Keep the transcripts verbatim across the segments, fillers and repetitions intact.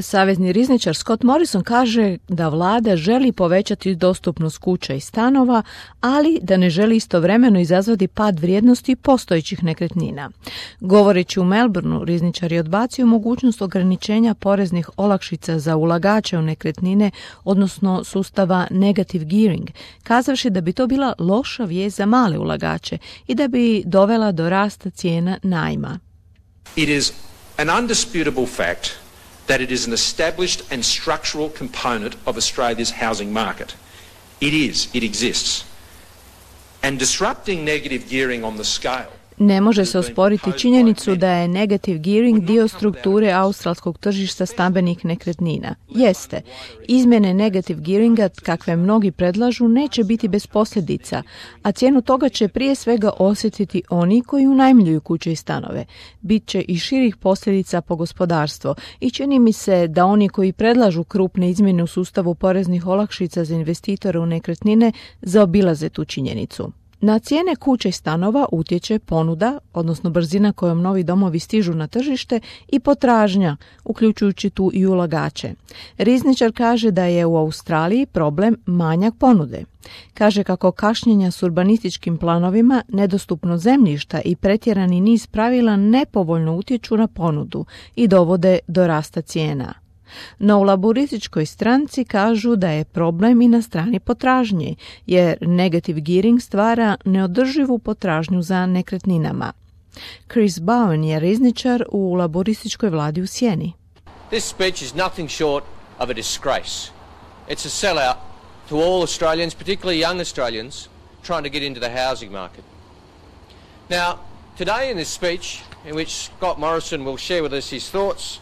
Savezni rizničar Scott Morrison kaže da vlada želi povećati dostupnost kuća i stanova, ali da ne želi istovremeno izazvati pad vrijednosti postojećih nekretnina. Govoreći u Melbourneu, rizničar je odbacio mogućnost ograničenja poreznih olakšica za ulagače u nekretnine, odnosno sustava negative gearing, kazavši da bi to bila loša vijest za male ulagače i da bi dovela do rasta cijena najma. It is an undisputable fact that it is an established and structural component of Australia's housing market. It is, it exists. And disrupting negative gearing on the scale. Ne može se osporiti činjenicu da je negative gearing dio strukture australskog tržišta stambenih nekretnina. Jeste, izmjene negative gearinga, kakve mnogi predlažu, neće biti bez posljedica, a cijenu toga će prije svega osjetiti oni koji unajmljuju kuće i stanove. Biće i širih posljedica po gospodarstvo i čini mi se da oni koji predlažu krupne izmjene u sustavu poreznih olakšica za investitore u nekretnine zaobilaze tu činjenicu. Na cijene kuća i stanova utječe ponuda, odnosno brzina kojom novi domovi stižu na tržište, i potražnja, uključujući tu i ulagače. Rizničar kaže da je u Australiji problem manjak ponude. Kaže kako kašnjenja s urbanističkim planovima, nedostupno zemljišta i pretjerani niz pravila nepovoljno utječu na ponudu i dovode do rasta cijena. No u laburističkoj stranci kažu da je problem i na strani potražnje, jer negative gearing stvara neodrživu potražnju za nekretninama. Chris Bowen je rizničar u laburističkoj vladi u Sjeni. This speech is nothing short of a disgrace. It's a sellout to all Australians, particularly young Australians, trying to get into the housing market. Now, today in this speech, in which Scott Morrison will share with us his thoughts,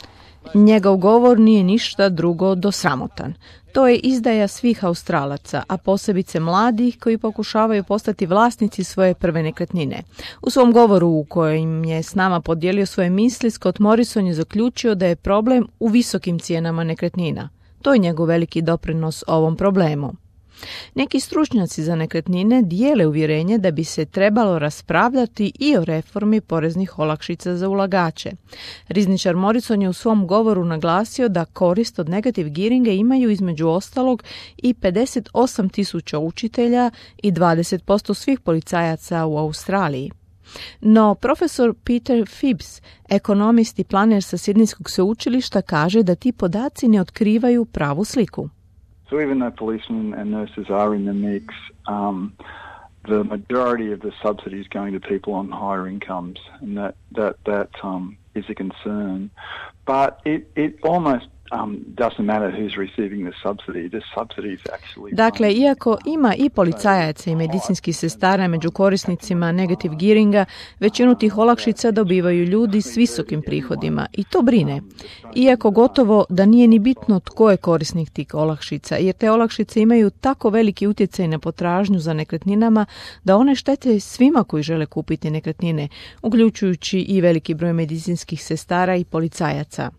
njegov govor nije ništa drugo do sramotan. To je izdaja svih Australaca, a posebice mladih koji pokušavaju postati vlasnici svoje prve nekretnine. U svom govoru u kojem je s nama podijelio svoje misli, Scott Morrison je zaključio da je problem u visokim cijenama nekretnina. To je njegov veliki doprinos ovom problemu. Neki stručnjaci za nekretnine dijele uvjerenje da bi se trebalo raspravljati i o reformi poreznih olakšica za ulagače. Rizničar Morrison je u svom govoru naglasio da korist od negative gearinga imaju između ostalog i pedeset osam tisuća učitelja i dvadeset posto svih policajaca u Australiji. No, profesor Peter Phibbs, ekonomist i planer sa Sidnejskog sveučilišta, kaže da ti podaci ne otkrivaju pravu sliku. So even though policemen and nurses are in the mix, um, the majority of the subsidy is going to people on higher incomes, and that that that um, is a concern. But it it almost um, doesn't matter who's receiving the subsidy. The subsidy is actually. Dakle, iako ima i policajaca i medicinskih sestara među korisnicima negative gearinga, većinu tih olakšica dobivaju ljudi s visokim prihodima i to brine. Iako gotovo da nije ni bitno tko je korisnik tih olakšica, jer te olakšice imaju tako veliki utjecaj na potražnju za nekretninama da one štete svima koji žele kupiti nekretnine, uključujući i veliki broj medicinskih sestara i policajaca.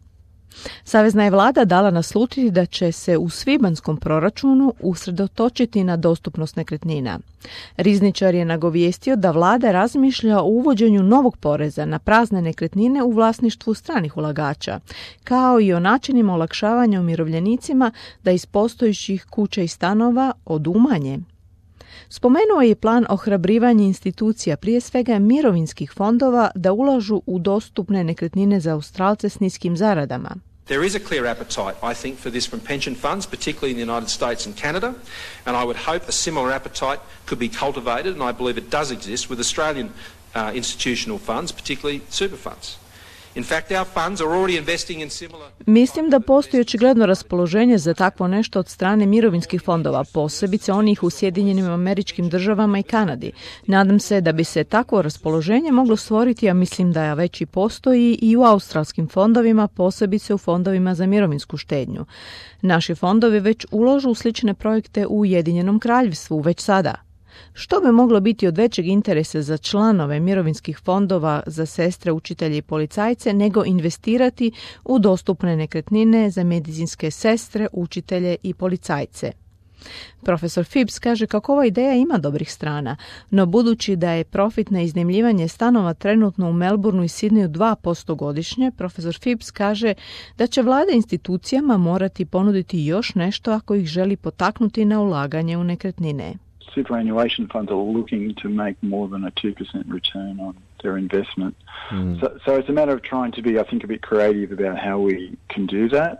Savezna je vlada dala naslutiti da će se u svibanjskom proračunu usredotočiti na dostupnost nekretnina. Rizničar je nagovijestio da vlada razmišlja o uvođenju novog poreza na prazne nekretnine u vlasništvu stranih ulagača, kao i o načinima olakšavanja umirovljenicima da iz postojećih kuća i stanova odumanje. Spomenuo je plan ohrabrivanja institucija, prije svega mirovinskih fondova, da ulažu u dostupne nekretnine za Australce s niskim zaradama. There is a clear appetite, I think, for this from pension funds, particularly in the United States and Canada, and I would hope a similar appetite could be cultivated, and I believe it does exist, with Australian uh, institutional funds, particularly super funds. In fact, our funds are already investing in similar... Mislim da postoji očigledno raspoloženje za takvo nešto od strane mirovinskih fondova, posebice onih u Sjedinjenim Američkim Državama i Kanadi. Nadam se da bi se takvo raspoloženje moglo stvoriti, a mislim da već i postoji i u australskim fondovima, posebice u fondovima za mirovinsku štednju. Naši fondovi već ulažu u slične projekte u Ujedinjenom Kraljevstvu već sada. Što bi moglo biti od većeg interesa za članove mirovinskih fondova, za sestre, učitelje i policajce, nego investirati u dostupne nekretnine za medicinske sestre, učitelje i policajce? Profesor Phipps kaže kako ova ideja ima dobrih strana, no budući da je profit na iznajmljivanje stanova trenutno u Melbourneu i Sidneju dva posto godišnje, profesor Phipps kaže da će vlada institucijama morati ponuditi još nešto ako ih želi potaknuti na ulaganje u nekretnine. Superannuation funds are looking to make more than a two percent return on their investment. Mm. So, so it's a matter of trying to be, I think, a bit creative about how we can do that.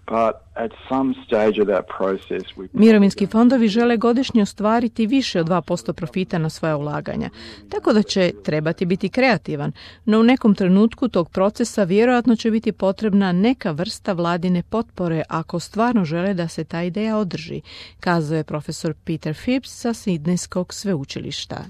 But at some stage of that process we... Mirovinski fondovi žele godišnje ostvariti više od dva posto profita na svoja ulaganja, tako da će trebati biti kreativan, no u nekom trenutku tog procesa vjerojatno će biti potrebna neka vrsta vladine potpore ako stvarno žele da se ta ideja održi, kazao je profesor Peter Phipps sa Sidnejskog sveučilišta.